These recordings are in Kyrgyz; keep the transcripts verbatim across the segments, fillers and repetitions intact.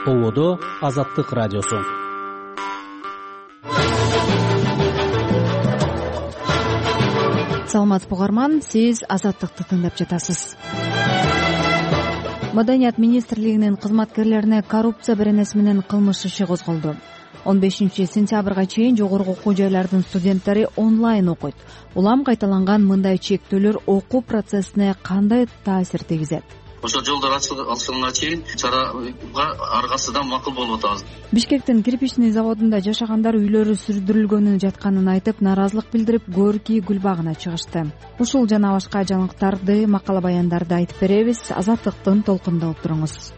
Ободо Азаттык радиосу. Саламатсызбы угарман, сиз Азаттыкты тыңдап жатасыз. Маданият министрлигинин кызматкерлерине коррупция беренеси менен кылмыш иши козголду. он бешинчи сентябрга чейин жогорку окуу жайлардын студенттери онлайн окуйт. Улам кайталанган мындай чектөөлөр окуу процессине кандай таасир тийгизет? Ошол жолдор ачылганга чейин чарага ар кайсыдан макул болуп атабыз. Бишкектин кирпичный заводунда жашагандар үйлөрү сүрдүрүлгөнүн жатканын айтып, нааразылык билдирип, Горький гүл багына чыгышты. Ушул жана башка жаңылыктарды, макала баяндарды айтып беребиз. Азаттыктын толкунда отуруңуз.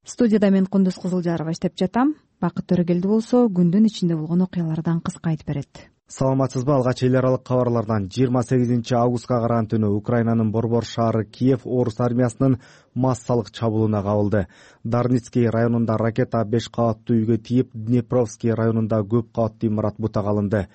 Студияда мен Кундуз Кызылжарова иштеп жатам. Бакыт Төрөгелди болсо күндүн ичинде болгон окуялардан кыска айтып берет. Саламатсызбы? Алгач эл аралык кабарлардан жыйырма сегизинчи августка караган түнү Украинанын борбор шаары Киев орус армиясынын массалык чабуулуна кабылды. Дарницкий районунда ракета беш кабаттуу үйгө тийип, Днепровский районунда көп кабаттуу имарат бутак алынды.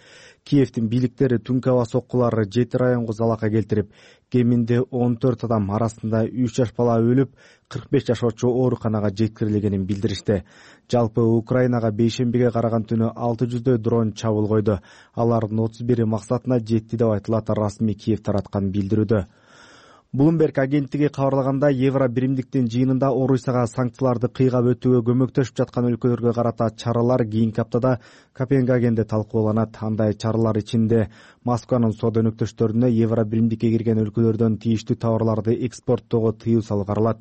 Киевдин бийликтери түнкү аба соккулары жети районго залака келтирип, кеминде он төрт адам, арасында үч жаш бала өлүп, кырк беш жашоочу ооруканага жеткирилгенин билдиришти. Жалпы Украинага бейшембиге караган түнү алты жүздөй дрон чабуул койду. Алардын отуз бири максатына жетти деп айтылат, расмий Киев тараткан билдирүүдө. Bloomberg агенттиги кабарлаганда, Евро биримдиктин жыйынында Орусияга санкцияларды кыйгап өтүүгө көмөктөшүп жаткан өлкөлөргө карата чаралар кийинки аптада Копенгагенде талкууланат. Андай чаралар ичинде Москванын соода өнөктөштөрүнө Евро биримдикке кирген өлкөлөрдөн тийиштүү товарларды экспорттоого тыюу салуу каралат.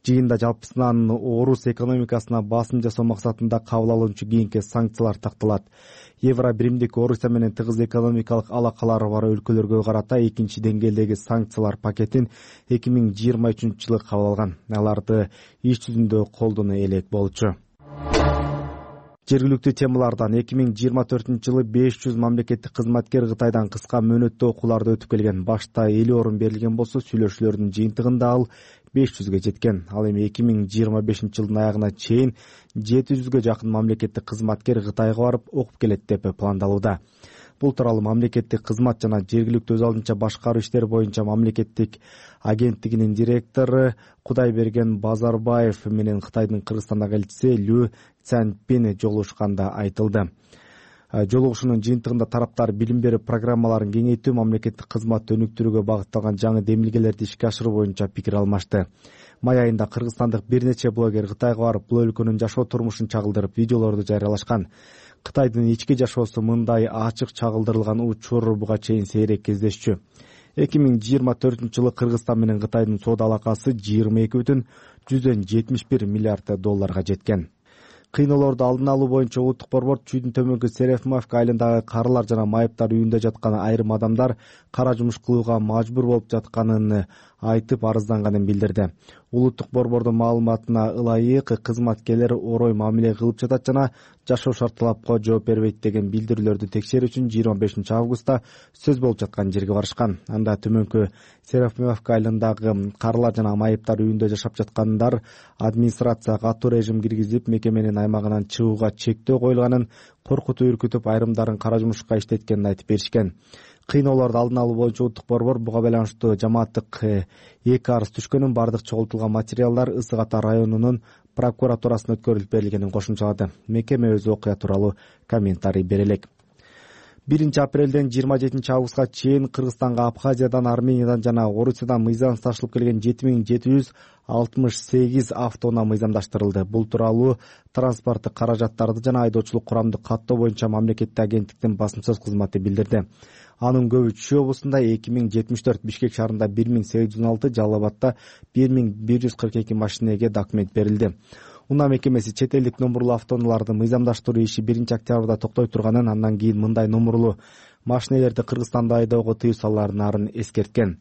Жыйында жалпысынан орус экономикасына басым жасоо максатында кабыл алынчу кийинки санкциялар такталат. Евро биримдик Орусия менен тыгыз экономикалык алакалары бар өлкөлөргө карата экинчи деңгээлдеги санкциялар пакетин эки миң жыйырма үчүнчү жылы кабыл алган. Аларды иш жүзүндө колдоно элек болчу. Жергиликтүү темалардан эки миң жыйырма төртүнчү жылы беш жүз мамлекеттик кызматкер Кытайдан кыска мөөнөттө окууларды өтүп келген. Башта элүү орун берилген болсо, сүйлөшүүлөрдүн жыйынтыгында ал беш жүзгө жеткен. Ал эми эки миң жыйырма бешинчи жылдын аягына чейин жети жүзгө жакын мамлекеттик кызматкер Кытайга барып окуп келет деп пландалууда. Бул тууралуу мамлекеттик кызмат жана жергиликтүү өз алдынча башкаруу иштери боюнча мамлекеттик агенттигинин директору Кудайберген Базарбаев менен Кытайдын Кыргызстандагы элчиси Лю Цянпин жолугушканда айтылды. Жолугушуунун жыйынтыгында тараптар билим берүү программаларын кеңейтүү, мамлекеттик кызматты өнүктүрүүгө багытталган жаңы демилгелерди ишке ашыруу боюнча пикир алмашты. Май айында кыргызстандык бир нече блогер Кытайга барып, бул өлкөнүн жашоо турмушун чагылдырып, видеолорду жарыялашкан. Кытайдын ички жашоосу мындай ачык чагылдырылган учур буга чейин сейрек кездешчү. эки миң жыйырма төртүнчү жылы Кыргызстан менен Кытайдын соода алакасы жыйырма эки бүтүн жүздөн жетимиш бир миллиард долларга жеткен. Кыйноолорду алдын алуу боюнча улуттук борбор Чүйдүн төмөнкү Серефмовка айылындагы карылар жана майыптар үйүндө жаткан айрым адамдар кара жумуш кылууга мажбур болуп жатканын айтып арызданганын билдирди. Улуттук борбордун маалыматына ылайык, кызматкерлер орой мамиле кылып жатат жана жашоо шарт талапка жооп бербейт деген билдирүүлөрдү текшерүү үчүн жыйырма бешинчи августта сөз болуп жаткан жерге барышкан. Анда төмөнкү Серефмовка айылындагы карылар жана майыптар үйүндө жашап жаткандар администрация катуу режим киргизип, мекеменин аймагынан чыгууга чектөө коюлганын, коркутуп үркүтүп, айрымдарын кара жумушка иштеткенин айтып беришкен. Кыйноолорду алдын алуу боюнча улуттук борбор буга байланыштуу жамааттык эки арыз түшкөнүн, бардык чогултулган материалдар Ысык Ата районунун прокуратурасына өткөрүлүп берилгенин кошумчалады. Мекеме өз окуя тууралуу комментарий бере элек. биринчи апрелден жыйырма жетинчи августка чейин Кыргызстанга Абхазиядан, Армениядан жана Орусиядан мыйзам ташылып келген жети миң жети жүз алтымыш сегиз автоунаа мыйзамдаштырылды. Бул тууралуу транспорттук каражаттарды жана айдоочулук курамды каттоо боюнча мамлекеттик агенттиктин басым-сөз кызматы билдирди. Анын көбү Чүй облусунда эки миң жетимиш төрт, Бишкек шаарында бир миң сегиз жүз он алты, Жалал Абадта бир миң бир жүз кырк эки машинеге документ берилди. Унаа мекемеси чет элдик номурлуу автоунааларды мыйзамдаштыруу иши биринчи октябрда токтой турганын, андан кийин мындай номурлуу машинелерди Кыргызстанда айдоого тыюу салаарын эскерткен.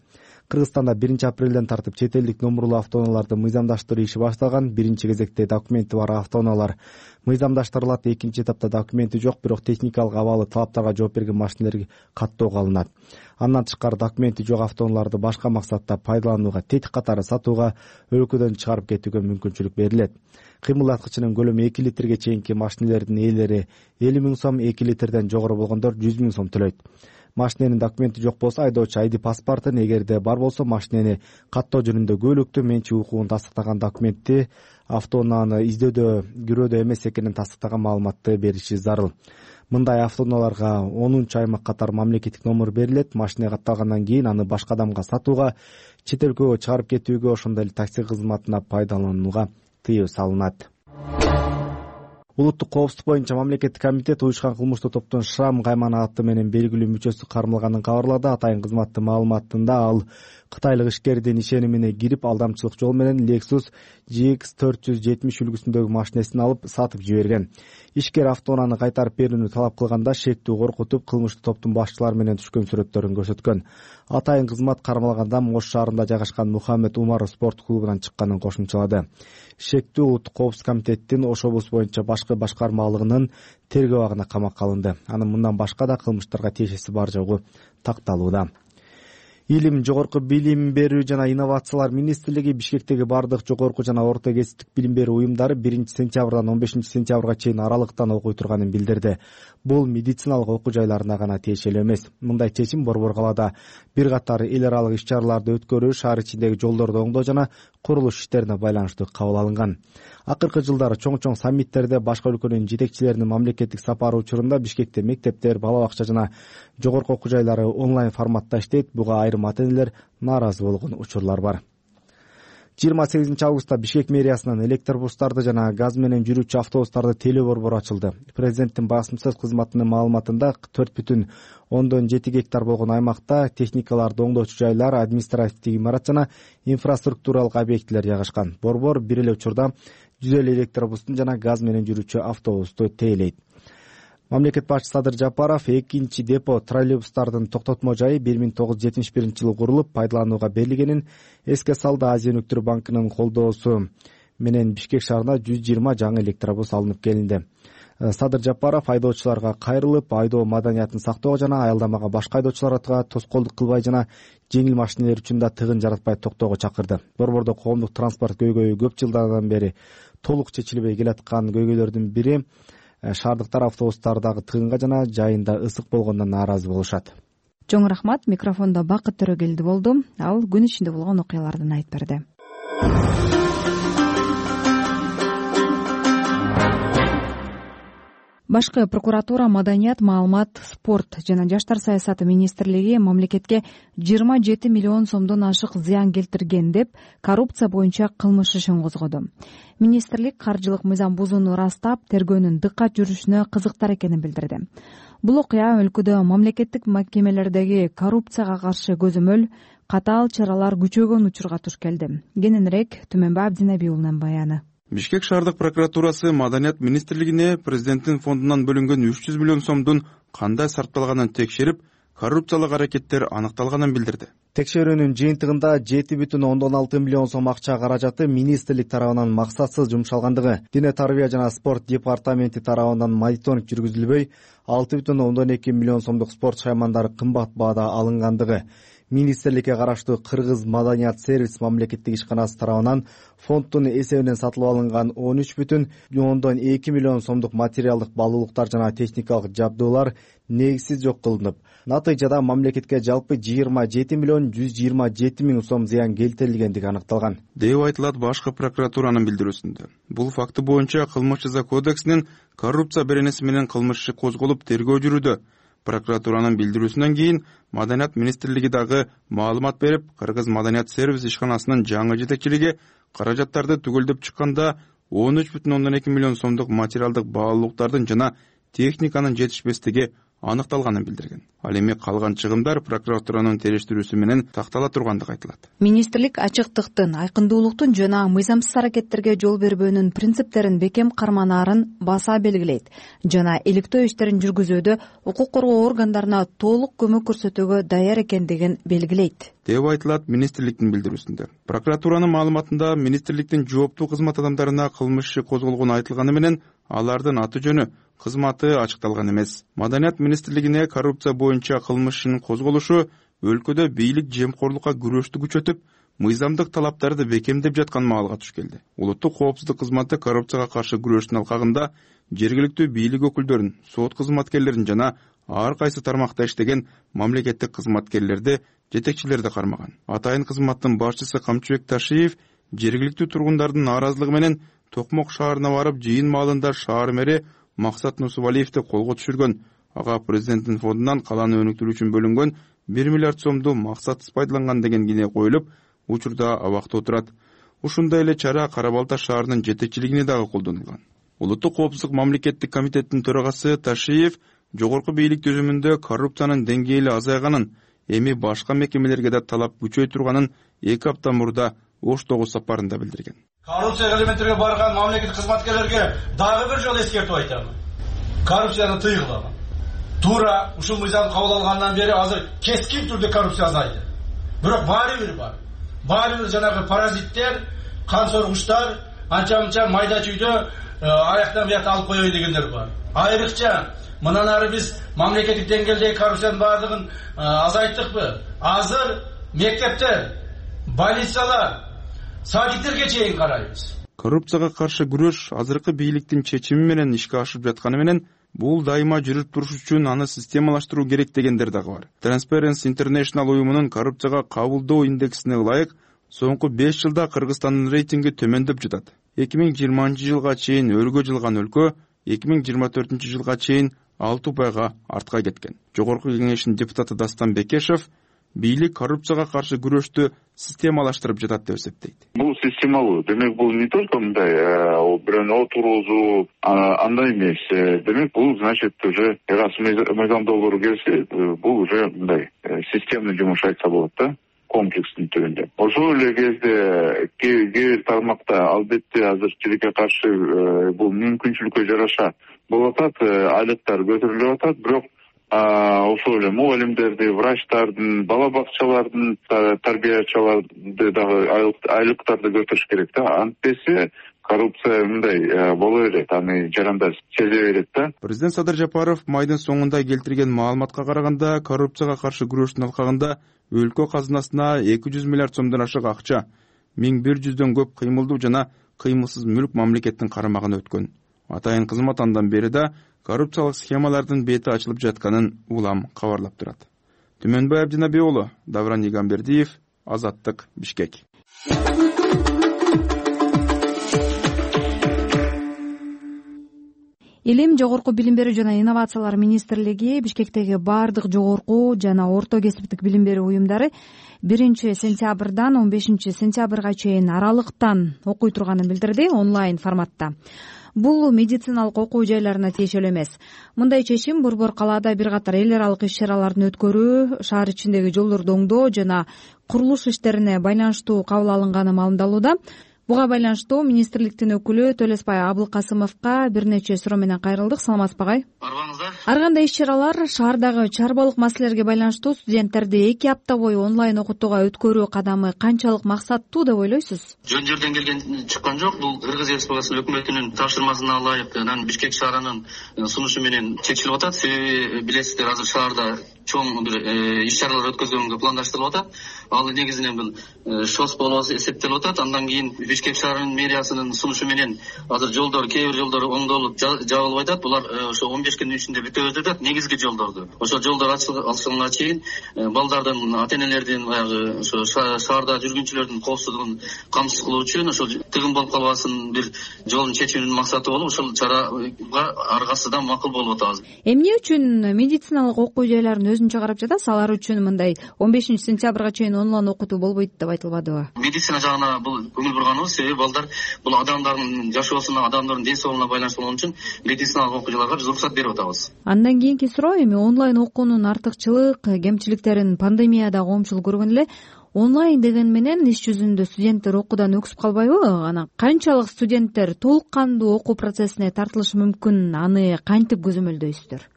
Кыргызстанда биринчи апрелден тартып чет элдик номурлуу автоунааларды мыйзамдаштыруу иши башталган. Биринчи кезекте документи бар автоунаалар мыйзамдаштырылат. Экинчи этапта документи жок, бирок техникалык абалы талаптарга жооп берген машинелер каттоого алынат. Андан тышкары документи жок автоунааларды башка максатта пайдаланууга, тетик катары сатууга, өлкөдөн чыгарып кетүүгө мүмкүнчүлүк берилет. Кыймылдаткычынын көлөмү эки литрге чейинки машинелердин ээлери элүү миң сом, эки литрден жогору болгондор жүз миң сом төлөйт. Машиненин документи жок болсо айдоочу айди паспортун, эгерде бар болсо машинени каттоо жөнүндө көлөктү, менчик укугун тастыктаган документти, автоунааны издөөдө кирөөдө эмес экенин тастыктаган маалыматты бериши зарыл. Мындай автоунааларга онунчу аймак катары мамлекеттик номер берилет. Машина катталгандан кийин аны башка адамга сатууга, чет өлкөгө чыгарып кетүүгө, ошондой эле такси кызматына пайдаланууга тыюу салынат. Улуттук коопсуздук боюнча мамлекеттик комитет уюшкан кылмыштуу топтун Шрам Кайман аты менен белгилүү мүчөсү кармалганын кабарлады. Атайын кызматтын маалыматында ал кытайлык ишкердин ишенимине кирип, алдамчылык жол менен Lexus G X төрт жүз жетимиш үлгүсүндөгү машинесин алып сатып жиберген. Ишкер автоунааны кайтарып берүүнү талап кылганда шектүү коркутуп, кылмыштуу топтун башчылары менен түшкөн сүрөттөрүн көрсөткөн. Атайын кызмат кармалган адам Ош шаарында жайгашкан Мухаммед Умар спорт клубунан чыкканын кошумчалады. Шектүү улуттук коопсуздук комитеттин Ош облусу боюнча башкы башкармалыгынын тергөө абагына камакка алынды. Анын мындан башка да кылмыштарга тиешеси бар жогу такталууда. Илим, жогорку билим берүү жана инновациялар министрлиги Бишкектеги бардык жогорку жана орто кесиптик билим берүү уюмдары биринчи сентябрдан он бешинчи сентябрга чейин аралыктан окуй турганын билдирди. Бул медициналык окуу жайларына гана тиешелүү эмес. Мындай чечим Борбор калаада бир катар эл аралык иш чараларды өткөрүү, шаар ичиндеги жолдорду оңдоо жана курулуш иштерине байланыштуу кабыл алынган. Акыркы жылдары чоң-чоң саммиттерде башка өлкөнүн жетекчилеринин мамлекеттик сапары учурунда Бишкекте мектептер, бала бакча жана жогорку окуу жайлары онлайн форматта иштейт. Буга айрым ата-энелер нааразы болгон учурлар бар. жыйырма сегизинчи августта Бишкек мэриясынан электробустарды жана газ менен жүрүүчү автобустарды тейлөө борбору ачылды. Президенттин басым сөз кызматынын маалыматында төрт бүтүн ондон жети гектар болгон аймакта техникаларды оңдоочу жайлар, административдик имарат жана инфраструктуралык объектилер жайгашкан. Борбор бир эле учурда жүз элүү электробустун жана газ менен жүрүүчү автобусту тейлейт. Мамлекет башчысы Садыр Жапаров экинчи депо троллейбустардын токтотмо жайы бир миң тогуз жүз жетимиш биринчи жылы курулуп, пайдаланууга берилгенин эске салды. Азия өнүктүрүү банкынын колдоосу менен Бишкек шаарына жүз жыйырма жаңы электробус алынып келинди. Садыр Жапаров айдоочуларга кайрылып, айдоо маданиятын сактоого жана аялдамага башка айдоочуларга тоскоолдук кылбай жана жеңил машинелер үчүн да тыгын жаратпай токтоого чакырды. Борбордо коомдук транспорт көйгөйү көп жылдардан бери толук чечилбей келаткан көйгөйлөрдүн бири шаардыктар автобустардагы тыгынга жана жайында ысык болгондон нааразы болушат. Чоң рахмат. Микрофондо Бакыт Төрөгелди болду. Ал күн ичинде болгон окуялардан айтып берди. Башкы прокуратура, маданият, маалымат, спорт жана жаштар саясаты министрлиги мамлекетке жыйырма жети миллион сомдон ашык зыян келтирген деп коррупция боюнча кылмыш ишин козгоду. Министрлик каржылык мыйзам бузууну ырастап, тергөөнүн дыккат жүрүшүнө кызыктар экенин билдирди. Бул окуя өлкөдө мамлекеттик мекемелердеги коррупцияга каршы көзөмөл, катаал чаралар күчөгөн учурга туш келди. Кененирээк Түмөнбай Абдинеби уулунун баяны. Бишкек шаардык прокуратурасы маданият министрлигине президенттин фондунан бөлүнгөн үч жүз миллион сомдун кандай сарпталганын текшерип, коррупциялык аракеттер аныкталганын билдирди. Текшерүүнүн жыйынтыгында жети бүтүн ондон алты миллион сом акча каражаты министрлик тарабынан максатсыз жумшалгандыгы, Дене тарбия жана спорт департаменти тарабынан мониторинг жүргүзүлбөй, алты бүтүн ондон эки миллион сомдук спорт шаймандары кымбат баада алынгандыгы, министрликке караштуу Кыргыз маданият сервис мамлекеттик ишканасы тарабынан фонддун эсебинен сатылып алынган он үч бүтүн ондон эки миллион сомдук материалдык баалуулуктар жана техникалык жабдуулар негизсиз жок кылынып, натыйжада мамлекетке жалпы жыйырма жети миллион жүз жыйырма жети миң сом зыян келтирилгендиги аныкталган деп айтылат башкы прокуратуранын билдирүүсүндө. Бул факты боюнча кылмыш жаза кодексинин коррупция беренеси менен кылмыш иши козголуп тергөө жүрүүдө. Прокуратуранын билдирүүсүнөн кийин Маданият министрлиги дагы маалымат берип, Кыргыз маданият сервис ишканасынын жаңы жетекчилиги каражаттарды түгөлдөп чыкканда он үч бүтүн ондон эки миллион сомдук материалдык баалуулуктардын жана техниканын жетишпестиги аныкталганын билдирген. Ал эми калган чыгымдар прокуратуранын териштирүүсү менен тактала тургандыгы айтылат. Министрлик ачыктыктын, айкындуулуктун жана мыйзамсыз аракеттерге жол бербөөнүн принциптерин бекем карманаарын баса белгилейт жана иликтөө иштерин жүргүзүүдө укук коргоо органдарына толук көмөк көрсөтүүгө даяр экендигин белгилейт деп айтылат министрликтин билдирүүсүндө. Прокуратуранын маалыматында министрликтин жооптуу кызмат адамдарына кылмыш иши козголгону айтылганы менен алардын аты жөнү, кызматы ачыкталган эмес. Маданият министрлигине коррупция боюнча кылмыш ишинин козголушу өлкөдө бийлик жемкорлукка күрөштү күчөтүп, мыйзамдык талаптарды бекемдеп жаткан маалга туш келди. Улуттук коопсуздук кызматы коррупцияга каршы күрөштүн алкагында жергиликтүү бийлик өкүлдөрүн, сот кызматкерлерин жана ар кайсы тармакта иштеген мамлекеттик кызматкерлерди, жетекчилерди кармаган. Атайын кызматтын башчысы Камчыбек Ташиев жергиликтүү тургундардын нааразылыгы менен Токмок шаарына барып, жыйын маалында шаар мэри Максат Нусубалиевди колго түшүргөн. Ага президенттин фондунан каланы өнүктүрүү үчүн бөлүнгөн бир миллиард сомду максатсыз пайдаланган деген кине коюлуп, учурда абакта отурат. Ушундай эле чара Кара Балта шаарынын жетекчилигине дагы колдонулган. Улуттук коопсуздук мамлекеттик комитеттин төрагасы Ташиев жогорку бийлик түзүмүндө коррупциянын деңгээли азайганын, эми башка мекемелерге да талап күчөй турганын эки апта мурда Оштогу сапарында билдирген. Коррупция элементтерге барган мамлекеттик кызматкерлерге дагы бир жолу эскертип айтам. Коррупцияны тыйгыла. Туура ушул мыйзам кабыл алгандан бери азыр кескин түрдө коррупция азайды. Бирок баары бир бар. Баары бир жанагы паразиттер, кан соргучтар, анча-мынча майда чүйдө аяктан буякка алып коёй дегендер бар. Айрыкча мындан ары биз мамлекеттик деңгээлдеги коррупциянын баардыгын азайттыкпы? Азыр мектептер, больницалар, садиктерге чейин карайбыз. Коррупцияга каршы күрөш азыркы бийликтин чечими менен ишке ашып жатканы менен бул дайыма жүрүп туруш үчүн аны системалаштыруу керек дегендер дагы бар. Transparency International уюмунун коррупцияга кабылдоо индексине ылайык соңку беш жылда Кыргызстандын рейтинги төмөндөп жатат. эки миң жыйырманчы жылга чейин өргө жылган өлкө эки миң жыйырма төртүнчү жылга чейин алты упайга артка кеткен. Жогорку кеңештин депутаты Дастан Бекешев бийлик коррупцияга каршы күрөштү системалаштырып жатат деп эсептейт. Бул системалуу. Демек бул не только мындай бирөөнү отургузуу андай эмес. Демек бул значит уже раз мыйзам долбоору келсе, бул уже мындай системный жумуш айтса болот да, комплекстин түрүндө. Ошол эле кезде кээ бир тармакта албетте азыр тилекке каршы бул мүмкүнчүлүккө жараша болуп атат, айлыктар көтөрүлүп атат, бирок ошол эле мугалимдерди, врачтардын, бала бакчалардын тарбиячыларды дагы айлыктарды көтөрүш керек да. Антпесе коррупция мындай боло берет, аны жарандаш сезе берет да. Президент Садыр Жапаров майдын соңунда келтирген маалыматка караганда, коррупцияга каршы күрөштүн алкагында өлкө казынасына эки жүз миллиард сомдон ашык акча, миң бир жүздөн көп кыймылдуу жана кыймылсыз мүлк мамлекеттин карамагына өткөн. Атайын кызмат андан бери да коррупциялык схемалардын бети ачылып жатканын улам кабарлап турат. Түмөнбай Абдинабий уулу, Давран Игамбердиев, Азаттык, Бишкек. Илим, жогорку билим берүү жана инновациялар министрлиги Бишкектеги баардык жогорку жана орто кесиптик билим берүү уюмдары биринчи сентябрдан он бешинчи сентябрга чейин аралыктан окуй турганын билдирди онлайн форматта. Бул медициналык окуу жайларына тиешелүү эмес. Мындай чечим Борбор калаада бир катар эл аралык иш-чаралардын өткөрүү, шаар ичиндеги жолдорду оңдоо жана курулуш иштерине байланыштуу кабыл алынганы маалымдалууда. Буга байланыштуу министрликтин өкүлү Төлөсбай Абылкасымовго бир нече суроо менен кайрылдык. Саламатсызбы агай? Арбаңызда. Ар кандай иш-чаралар шаардагы чарбалык маселелерге байланыштуу студенттерди эки апта бою онлайн окутууга өткөрүү кадамы канчалык максаттуу деп ойлойсуз? Жөн жерден келген чыккан жок. Бул Кыргыз Республикасынын өкмөтүнүн тапшырмасына ылайык анан Бишкек шаарынын сунушу менен чечилип атат. Себеби билесиздер, азыр шаарда чоң бир иш-чаралар өткөзгөнгө пландаштырылып атат. Ал негизинен бул ШОС болуп эсептелип атат. Андан кийин Бишкек шаарынын мэриясынын сунушу менен азыр жолдор, кээ бир жолдор оңдолуп жабылып атат. Булар ошо он беш күндүн ичинде бүтөбүз деп атат, негизги жолдорду. Ошо жолдор ачылганга чейин балдардын, ата-энелердин, баягы ошо шаарда жүргүнчүлөрдүн коопсуздугун камсыз кылуу үчүн ошол тыгын болуп калбасын бир жолун чечүүнүн максаты болуп, ошол чарага аргасыдан макул болуп атабыз. Эмне үчүн медициналык окуу жайларын өзүнчө карап жатасыз? Алар үчүн мындай он бешинчи сентябрга чейин онлайн окутуу болбойт деп айтылбадыбы? Медицина жагына бул көңүл бурганыбыз, себеби балдар бул адамдардын жашоосуна, адамдардын ден соолугуна байланыштуу болгон үчүн медициналык окуу жайларга биз уруксат берип атабыз. Андан кийинки суроо, эми онлайн окуунун артыкчылык, кемчиликтерин пандемияда коомчулук көргөн эле. Онлайн деген менен иш жүзүндө студенттер окуудан өксүп калбайбы? Анан канчалык студенттер толук кандуу окуу процессине тартылышы мүмкүн? Аны кантип көзөмөлдөйсүздөр?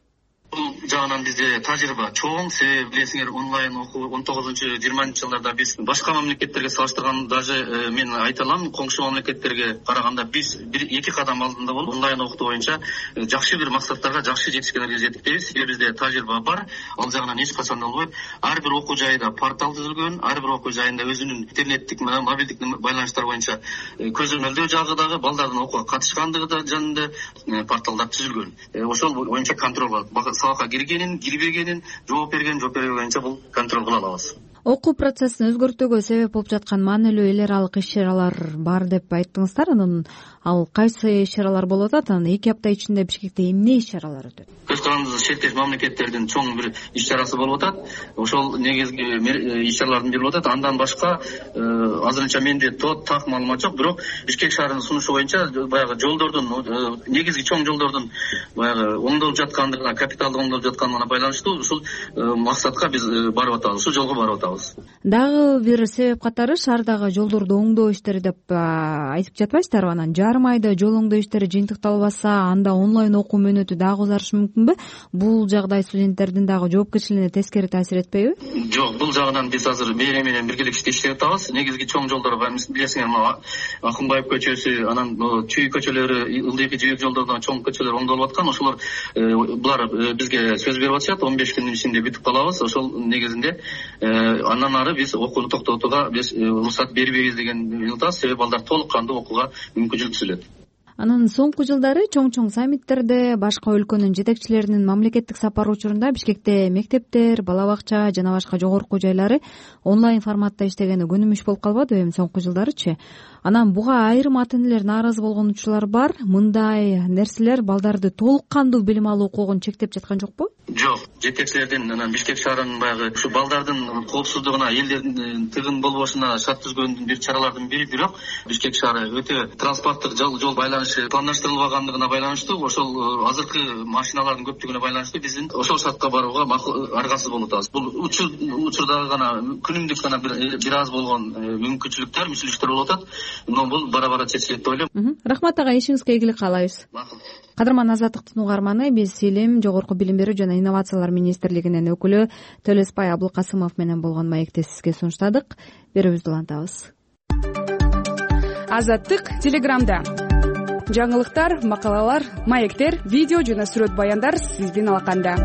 Бул жагынан бизде тажрыйба чоң, себеби билесиңер, онлайн окуу он тогузунчу жыйырманчы жылдарда биз башка мамлекеттерге салыштырганда даже мен айта алам, коңшу мамлекеттерге караганда биз бир эки кадам алдында болуп онлайн окутуу боюнча жакшы бир максаттарга, жакшы жетишкендерге жеттикпиз. Себеби бизде тажрыйба бар, ал жагынан эч качан да болбойт. Ар бир окуу жайда портал түзүлгөн, ар бир окуу жайында өзүнүн интернеттик, мобилдик байланыштар боюнча көзөмөлдөө жагы дагы, балдардын окууга катышкандыгы да жөнүндө порталдар түзүлгөн. Ошол боюнча контроль бар. Сабакка киргенин кирбегенин, жооп берген жооп бербегенинче бул контроль кыла алабыз. Окуу процессин өзгөртүүгө себеп болуп жаткан маанилүү эл аралык иш-чаралар бар деп айттыңыздар. Анан ал кайсы иш-чаралар болуп атат? Анан эки апта ичинде Бишкекте эмне иш-чаралар өтөт? Көз карандыбызда шектеш мамлекеттердин чоң бир иш-чарасы болуп атат. Ошол негизги иш-чаралардын бири болуп атат. Андан башка азырынча менде тот так маалымат жок, бирок Бишкек шаарынын сунушу боюнча баягы жолдордун, негизги чоң жолдордун баягы оңдолуп жаткандыгына, капиталдык оңдолуп жаткандыгына байланыштуу ушул максатка биз барып атабыз, ушул жолго барып атабыз. Дагы бир себеп катары шаардагы жолдорду оңдоо иштери деп айтып жатпайсыздарбы? Анан жарым айда жол оңдоо иштери жыйынтыкталбаса, анда онлайн окуу мөөнөтү дагы узарышы мүмкүнбү? Бул жагдай студенттердин дагы жоопкерчилигине тескери таасир этпейби? Жок, бул жагынан биз азыр мэрия менен биргеликте иштеп атабыз. Негизги чоң жолдор бар, билесиңер, Акынбаев көчөсү, анан Чүй көчөлөрү, Ылдыйкы жибек жолдорунан чоң көчөлөр оңдолуп аткан. Ошолор булар бизге сөз берип атышат, он беш күндүн ичинде бүтүп калабыз. Ошол негизинде андан ары биз окууну токтотууга биз уруксат бербейбиз деген атабыз. Себеби балдар толук кандуу окууга мүмкүнчүлүк түзүлөт. Анан соңку жылдары чоң-чоң саммиттерде башка өлкөнүн жетекчилеринин мамлекеттик сапары учурунда Бишкекте мектептер, бала бакча жана башка жогорку жайлары онлайн форматта иштегени күнүмүш болуп калбадыбы эми соңку жылдарычы? Анан буга айрым ата энелер нааразы болгон учурлар бар. Мындай нерселер балдарды толук кандуу билим алуу укугун чектеп жаткан жокпу? Жок, жетекчилердин анан Бишкек шаарынын баягы ушу балдардын коопсуздугуна, элдердин тыгын болбошуна шарт түзгөндүн бир чаралардын бири, бирок Бишкек шаары өтө транспорттук жол жол байланышы пландаштырылбагандыгына байланыштуу, ошол азыркы машиналардын көптүгүнө байланыштуу биздин ошол шартка барууга аргасыз болуп атабыз. Бул учурдагы гана күнүмдүк гана бир аз болгон мүмкүнчүлүктөр, мүчүлүктөр болуп атат. Но бул бара-бара чечилет деп ойлойм. Рахмат ага, ишиңизге ийгилик каалайбыз. Кадырман Азаттыктын угарманы, биз Илим, Жогорку билим берүү жана инновациялар министрлигинин өкүлү Төлөсбай Абылкасымов менен болгон маекти сизге сунуштадык. Берүүбүздү улантабыз. Азаттык Телеграмда. Жаңылыктар, макалалар, маектер, видео жана сүрөт баяндар сиздин алаканда.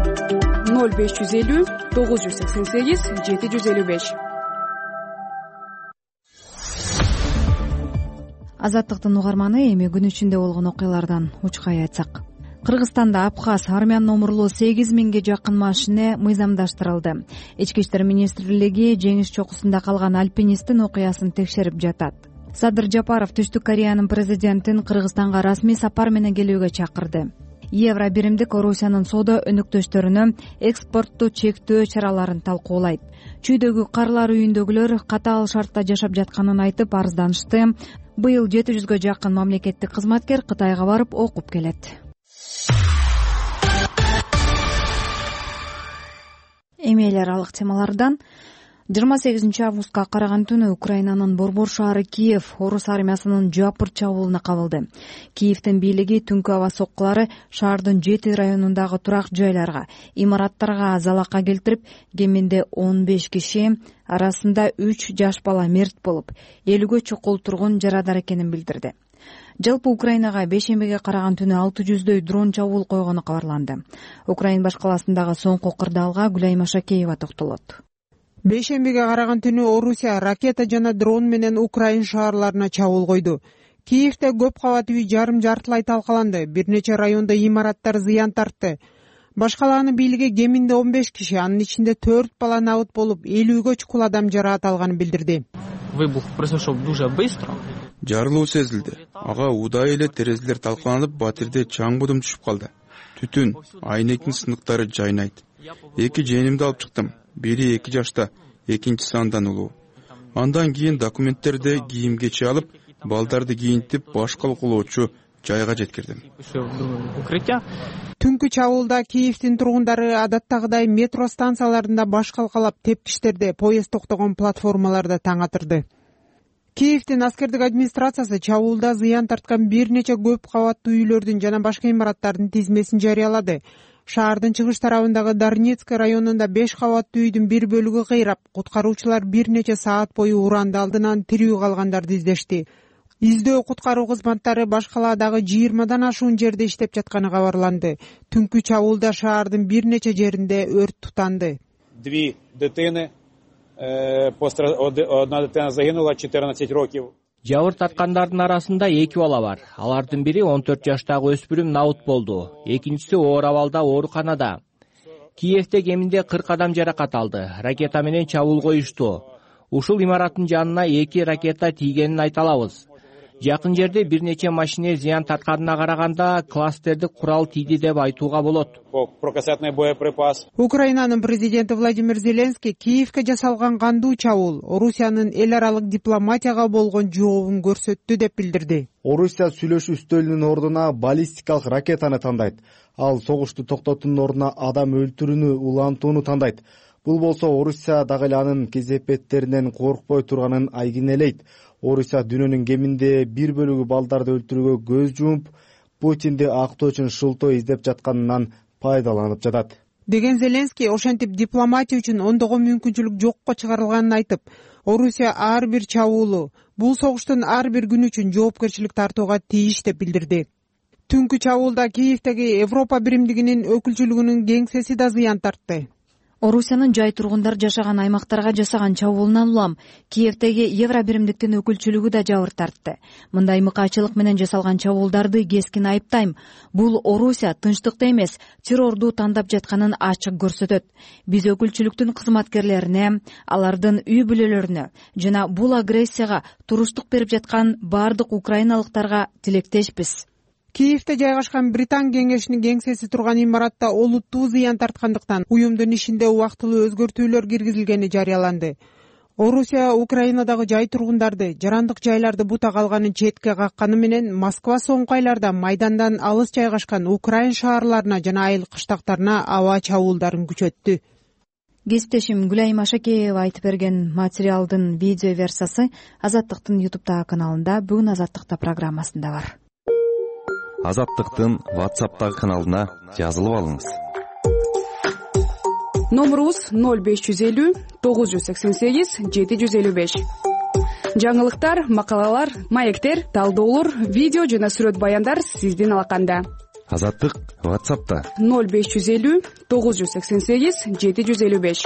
ноль беш жүз элүү тогуз жүз сексен сегиз жети жүз элүү беш. Азаттыктын угарманы, эми күн ичинде болгон окуялардан учкай айтсак. Кыргызстанда Абхаз армян номурлуу сегиз миңге жакын машина мыйзамдаштырылды. Ички иштер министрлиги жеңиш чокусунда калган альпинисттин окуясын текшерип жатат. Садыр Жапаров Түштүк Кореянын президентин Кыргызстанга расмий сапар менен келүүгө чакырды. Евро биримдик Орусиянын соода өнөктөштөрүнө экспортту чектөө чараларын талкуулайт. Чүйдөгү карлар үйүндөгүлөр катаал шартта жашап жатканын айтып арызданышты. Быйыл жети жүзгө жакын мамлекеттик кызматкер Кытайга барып окуп келет. Эми эл аралык темалардан жыйырма сегизинчи августка караган түнү Украинанын борбор шаары Киев орус армиясынын жапыр чабуулуна кабылды. Киевдин бийлиги түнкү аба соккулары шаардын жети районундагы турак жайларга, имараттарга залака келтирип, кеминде он беш киши, арасында үч жаш бала мерт болуп, элүүгө чукул тургун жарадар экенин билдирди. Жалпы Украинага бейшембиге караган түнү алты жүздөй дрон чабуул койгону кабарланды. Украин баш каласындагы соңку кырдаалга Гүлай Машакеева токтолот. Бейшембиге караган түнү Орусия ракета жана дрон менен Украин шаарларына чабуул койду. Киевде көп кабат үй жарым жартылай талкаланды, бир нече районда имараттар зыян тартты. Баш калаанын бийлиги кеминде он беш киши, анын ичинде төрт бала набыт болуп, элүүгө чукул адам жараат алганын билдирди. Выбух произошел дуже быстро. Жарылуу сезилди. Ага удай эле терезелер талкаланып, батирде чаң будум түшүп калды. Түтүн, айнектин сыныктары жайнайт. Эки жээнимди алып чыктым. Бири эки жашта, экинчиси андан улуу. Андан кийин документтерди кийимгече алып, балдарды кийинтип, баш калкулоочу жайга жеткирдим. Түнкү чабуулда Киевдин тургундары адаттагыдай метро станцияларында баш калкалап, тепкичтерде, поезд токтогон платформаларда таң атырды. Киевдин аскердик администрациясы чабуулда зыян тарткан бир нече көп кабаттуу үйлөрдүн жана башка имараттардын тизмесин жарыялады. Шаардын чыгыш тарабындагы Дарницкий районунда беш кабаттуу үйдүн бир бөлүгү кыйрап, куткаруучулар бир нече саат бою уранды алдынан тирүү калгандарды издешти. Издөө куткаруу кызматтары баш калаадагы жыйырмадан ашуун жерде иштеп жатканы кабарланды. Түнкү чабуулда шаардын бир нече жеринде өрт тутанды. Две дитини, одна дитина загинула, четырнадцать років. Жабыр тарткандардын арасында эки бала бар. Алардын бири он төрт жаштагы өспүрүм набыт болду. Экинчиси оор абалда ооруканада. Киевде кеминде кырк адам жаракат алды. Ракета менен чабуул коюшту. Ушул имараттын жанына эки ракета тийгенин айта алабыз. Жакын жерде бир нече машине зыян тартканына караганда кластердик курал тийди деп айтууга болот. Прокассетный боеприпас. Украинанын президенти Владимир Зеленский Киевке жасалган кандуу чабуул Орусиянын эл аралык дипломатияга болгон жообун көрсөттү деп билдирди. Орусия сүйлөшүү үстөлүнүн ордуна баллистикалык ракетаны тандайт. Ал согушту токтотуунун ордуна адам өлтүрүүнү улантууну тандайт. Бул болсо Орусия дагы эле анын кезепеттеринен коркпой турганын айгинелейт. Орусия дүйнөнүн кеминде бир бөлүгү балдарды өлтүрүүгө көз жумуп, Путинди актоо үчүн шылтоо издеп жатканынан пайдаланып жатат деген Зеленский ошентип дипломатия үчүн ондогон мүмкүнчүлүк жокко чыгарылганын айтып, Орусия ар бир чабуулу, бул согуштун ар бир күнү үчүн жоопкерчилик тартууга тийиш деп билдирди. Түнкү чабуулда Киевдеги Европа биримдигинин өкүлчүлүгүнүн кеңсеси да зыян тартты. Орусиянын жай тургундар жашаган аймактарга жасаган чабуулунан улам Киевдеги Евро биримдиктин өкүлчүлүгү да жабыр тартты. Мындай мыкаачылык менен жасалган чабуулдарды кескин айыптайм. Бул Орусия тынчтыкты эмес, террорду тандап жатканын ачык көрсөтөт. Биз өкүлчүлүктүн кызматкерлерине, алардын үй бүлөлөрүнө жана бул агрессияга туруштук берип жаткан бардык украиналыктарга тилектешпиз. Киевде жайгашкан Британ кеңешинин кеңсеси турган имаратта олуттуу зыян тарткандыктан уюмдун ишинде убактылуу өзгөртүүлөр киргизилгени жарыяланды. Орусия Украинадагы жай тургундарды, жарандык жайларды бута калганын четке какканы менен Москва соңку айларда майдандан алыс жайгашкан Украин шаарларына жана айыл кыштактарына аба чабуулдарын күчөттү. Кесиптешим Гүлайым Ашакеева айтып берген материалдын видео версиясы Азаттыктын YouTube каналында, бүгүн Азаттыкта программасында бар. Азаттыктын WhatsApp'тагы каналына жазылып алыңыз. Номерубуз ноль беш жүз элүү тогуз жүз сексен сегиз жети жүз элүү беш. Жаңылыктар, макалалар, маектер, талдоолор, видео жана сүрөт баяндар сиздин алаканда. Азаттык WhatsApp'та ноль беш жүз элүү тогуз жүз сексен сегиз жети жүз элүү беш.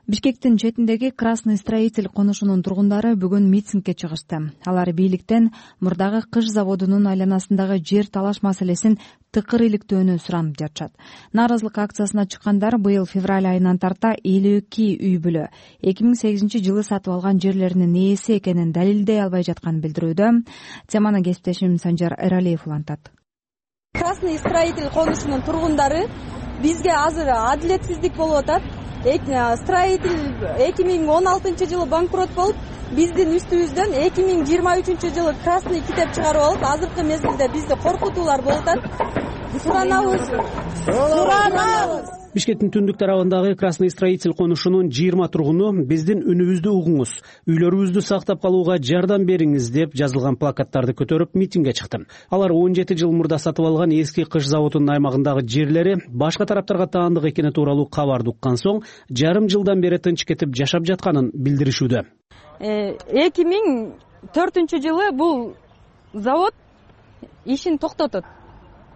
Бишкектин четиндеги Красный строитель конушунун тургундары бүгүн митингге чыгышты. Алар бийликтен мурдагы кыш заводунун айланасындагы жер талаш маселесин тыкыр иликтөөнү суранып жатышат. Нааразылык акциясына чыккандар быйыл февраль айынан тарта элүү эки үй бүлө эки миң сегизинчи жылы сатып алган жерлеринин ээси экенин далилдей албай жатканын билдирүүдө. Теманы кесиптешим Санжар Эралиев улантат. Красный строитель конушунун тургундары бизге азыр адилетсиздик болуп атат. Строитель эки миң он алтынчы жылы банкрот болуп, биздин үстүбүздөн эки миң жыйырма үчүнчү жылы красный китеп чыгарып алып, азыркы мезгилде бизде коркутуулар болуп атат. Суранабыз. Суранабыз. Бишкектин түндүк тарабындагы Красный строитель конушунун жыйырма тургуну биздин үнүбүздү угуңуз, үйлөрүбүздү сактап калууга жардам бериңиз деп жазылган плакаттарды көтөрүп митингге чыкты. Алар он жети жыл мурда сатып алган эски кыш заводунун аймагындагы жерлери башка тараптарга таандык экени тууралуу кабарды уккан соң жарым жылдан бери тынч кетип жашап жатканын билдиришүүдө. эки миң төртүнчү жылы бул завод ишин токтотот.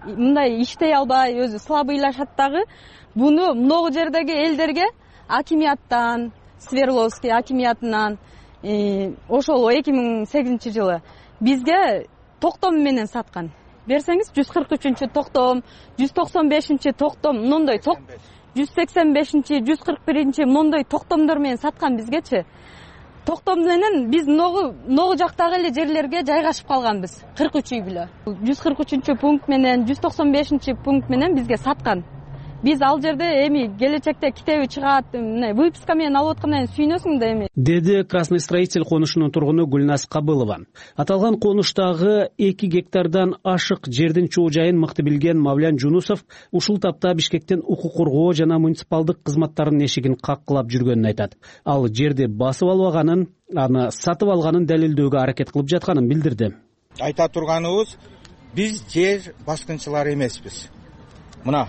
Мындай иштей албай, өзү слабыйлашат дагы. Буну много жердеги элдерге акимияттан, Свердловский акимиятынан ошол эки миң сегизинчи жылы бизге токтом менен саткан. Берсеңиз жүз кырк үчүнчү токтом, жүз токсон бешинчи токтом, мондой жүз сексен бешинчи, жүз кырк биринчи мондой токтомдор менен саткан бизгечи. Токтом менен биз много много жактагы эле жерлерге жайгашып калганбыз. кырк үч үй бүлө. жүз кырк үчүнчү пункт менен жүз токсон бешинчи пункт менен бизге саткан. Биз ал жерде эми келечекте китеби чыгат, мына выписка менен алып аткандан кийин сүйүнөсүң да эми. Деди Красный строитель конушунун тургуну Гүлназ Кабылова. Аталган конуштагы эки гектардан ашык жердин чоо жайын мыкты билген Мавлян Жунусов ушул тапта Бишкектин укук коргоо жана муниципалдык кызматтардын эшигин каккылап жүргөнүн айтат. Ал жерди басып албаганын, аны сатып алганын далилдөөгө аракет кылып жатканын билдирди. Айта турганыбыз, биз жер баскынчылары эмеспиз. Мына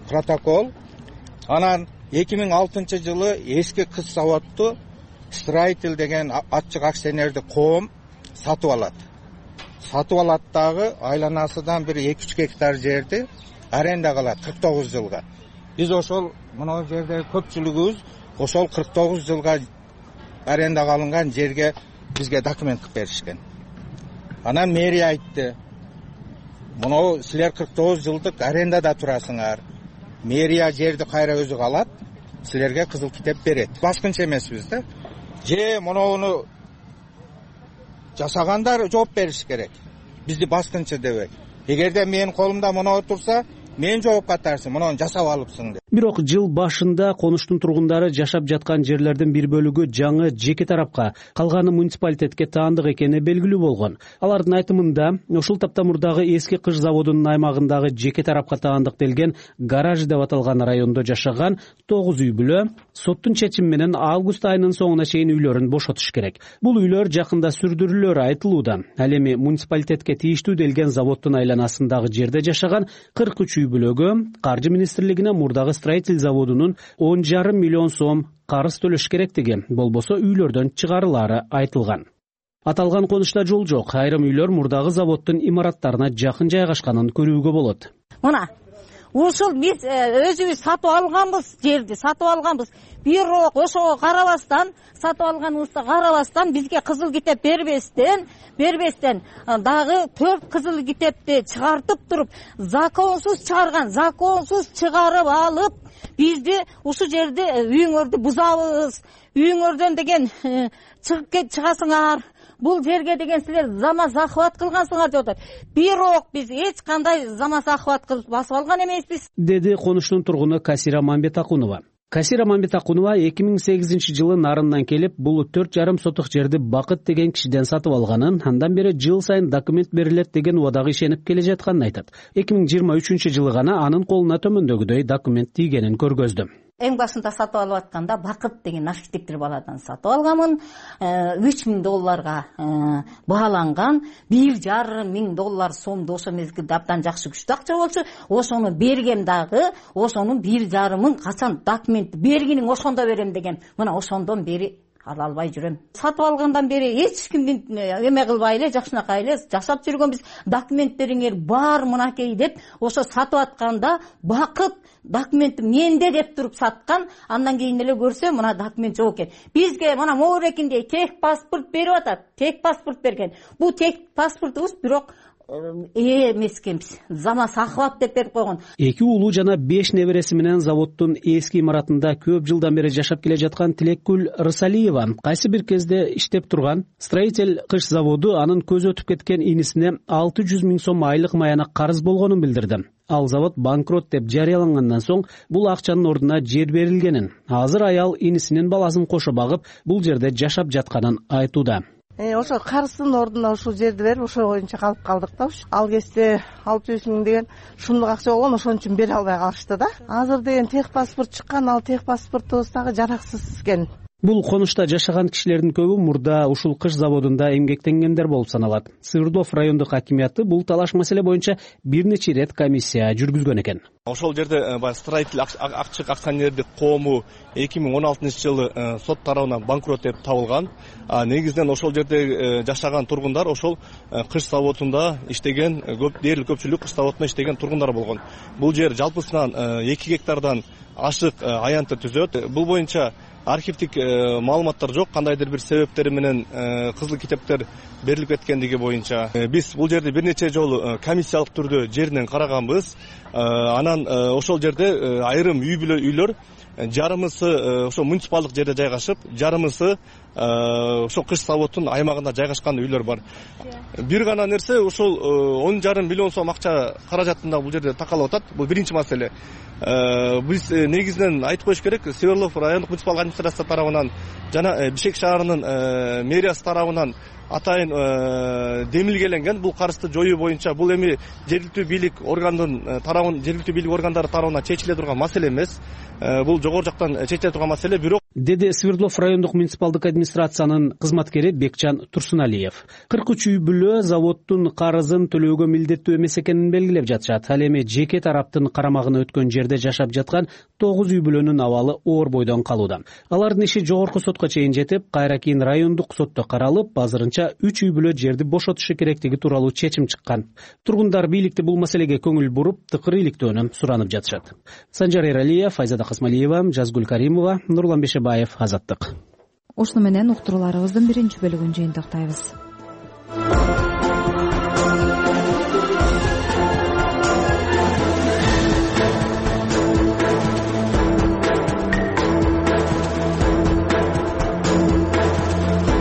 протокол. Анан эки миң алтынчы жылы эски кыш заводду строитель деген ачык акционерди коом сатып алат. Сатып алат дагы айланасынан бир эки үч гектар жерди арендага алат кырк тогуз жылга. Биз ошол мына жерде көпчүлүгүбүз ошол кырк тогуз жылга арендага алынган жерге бизге документ кылып беришкен. Анан мэрия айтты, Мынау силер кырк тогуз жылдык арендада турасыңар. Мэрия жерди кайра өзү алат, силерге кызыл китеп берет. Башкынчы эмеспиз да. Же мынауну жасагандар жооп бериш керек. Бизди башкынчы дебек. Эгерде менин колумда мынау турса, мен жоопка тартсым, муну жасап алыпсың деп. Бирок жыл башында конуштун тургундары жашап жаткан жерлердин бир бөлүгү жаңы жеке тарапка, калганы муниципалитетке таандык экени белгилүү болгон. Алардын айтымында, ушул таптамурдагы эски кыш заводунун аймагындагы жеке тарапка таандык делген гараж деп аталган райондо жашаган тогуз үй бүлө соттун чечими менен август айынын соңуна чейин үйлөрүн бошотуш керек. Бул үйлөр жакында сүрдүрүлөрү айтылууда. Ал эми муниципалитетке тийиштүү делген заводдун айланасындагы жерде жашаган кырк үч үй бүлөгө Каржы министрлигине мурдагы строитель заводунун он жарым миллион сом карыз төлөш керектиги, болбосо үйлөрдөн чыгарылаары айтылган. Аталган конушта жол жок. Айрым үйлөр мурдагы заводдун имараттарына жакын жайгашканын көрүүгө болот. Мына ушул биз өзүбүз сатып алганбыз, жерди сатып алганбыз. Бирок ошого карабастан, сатып алганыбызга карабастан бизге кызыл китеп бербестен, бербестен дагы төрт кызыл китепти чыгартып туруп, законсуз чыгарган, законсуз чыгарып алып, бизди ушул жерде үйүңөрдү бузабыз, үйүңөрдөн деген чыгып кет чыгасыңар. Бул жерге деген силер зама захват кылгансыңар деп атат. Бирок биз эч кандай зама захват кылып басып алган эмеспиз, деди конуштун тургуну Касира Мамбетакунова. Касира Мамбетакунова эки миң сегизинчи жылы нарындан келип, бул төрт жарым сотук жерди Бакыт деген кишиден сатып алганын, андан бери жыл сайын документ берилет деген убадага ишенип келе жатканын айтат. эки миң жыйырма үчүнчү жылы гана анын колуна төмөндөгүдөй документ тийгенин көргөздү. Эң башында сатып алып атканда Бакыт деген архитектор баладан сатып алганмын. үч миң долларга бааланган, бир жарым миң доллар сомду ошо мезгилде абдан жакшы күчтүү акча болчу. Ошону бергем дагы, ошонун бир жарымын качан документ бергиниң ошондо берем деген. Мына ошондон бери ала албай жүрөм. Сатып алгандан бери эч кимдин эме кылбай эле, жакшынакай эле жашап жүргөнбүз. Документтериңер бар мынакей деп, ошо сатып атканда Бакыт документ менде деп туруп саткан. Андан кийин эле көрсө мына документ жок экен. Бизге мына моорекинде тек паспорт берип атат, тек паспорт берген. Бул тек паспортубуз, бирок эмес экенбиз. Зама захват деп берип койгон. Эки уулу жана беш небереси менен заводдун эски имаратында көп жылдан бери жашап келе жаткан Тилекгүл Рысалиева кайсы бир кезде иштеп турган строитель кыш заводу анын көзү өтүп кеткен инисине алты жүз миң сом айлык маяна карыз болгонун билдирди. Ал завод банкрот деп жарыялангандан соң бул акчанын ордуна жер берилгенин, азыр аял инисинин баласын кошо багып, бул жерде жашап жатканын айтууда. Ошо карыздын ордуна ушул жерди берип, ошо боюнча калып калдык да. Ал кезде алты жүз миң деген шумдук акча болгон, ошон үчүн бере албай калышты да. Азыр деген тех паспорт чыккан, ал тех паспортубуз дагы жараксыз экен. Бул конушта жашаган кишилердин көбү мурда ушул кыш заводунда эмгектенгендер болуп саналат. Свердлов райондук хакимияты бул талаш маселе боюнча бир нече ирет комиссия жүргүзгөн экен. Ошол жерде баягы строитель акчык акционердик коому эки миң он алтынчы жылы сот тарабынан банкрот деп табылган. Негизинен ошол жерде жашаган тургундар ошол кыш заводунда иштеген, көп дээрлик көпчүлүк кыш заводунда иштеген тургундар болгон. Бул жер жалпысынан эки гектардан ашык аянты түзөт. Бул боюнча архивдик маалыматтар жок, кандайдыр бир себептери менен кызыл китептер берилип кеткендиги боюнча. Биз бул жерде бир нече жолу комиссиялык түрдө жеринен караганбыз. Анан ошол жерде айрым үй бүлө үйлөр, жарымысы ошо муниципалдык жерде жайгашып, жарымысы ошол кыш заводдун аймагында жайгашкан үйлөр бар. Бир гана нерсе, ошол он жарым миллион сом акча каражатында бул жерде такалып атат. Бул биринчи маселе. Биз негизинен айтып коюш керек, Свердлов райондук муниципалдык администрация тарабынан жана Бишкек шаарынын мэриясы тарабынан атайын демилгеленген бул карызды жоюу боюнча. Бул эми жергиликтүү бийлик органдын тарабынан, жергиликтүү бийлик органдары тарабынан чечиле турган маселе эмес. Бул жогору жактан чечиле турган маселе, бирок деди Свердлов райондук муниципалдык администрациянын кызматкери Бекчан Турсуналиев. кырк үч үй бүлө заводдун карызын төлөөгө милдеттүү эмес экенин белгилеп жатышат. Ал эми жеке тараптын карамагына өткөн жерде жашап жаткан тогуз үй бүлөнүн абалы оор бойдон калууда. Алардын иши жогорку сотко чейин жетип, кайра кийин райондук сотто каралып, азырынча үч үй бүлө жерди бошотушу керектиги тууралуу чечим чыккан. Тургундар бийликти бул маселеге көңүл буруп, тыкыр иликтөөнү суранып жатышат. Санжар Эралиев, Айзада Касмалиева, Жазгүл Каримова, Нурлан Бешебаев, Азаттык. Ушуну менен уктурууларыбыздын биринчи бөлүгүн жыйынтыктайбыз.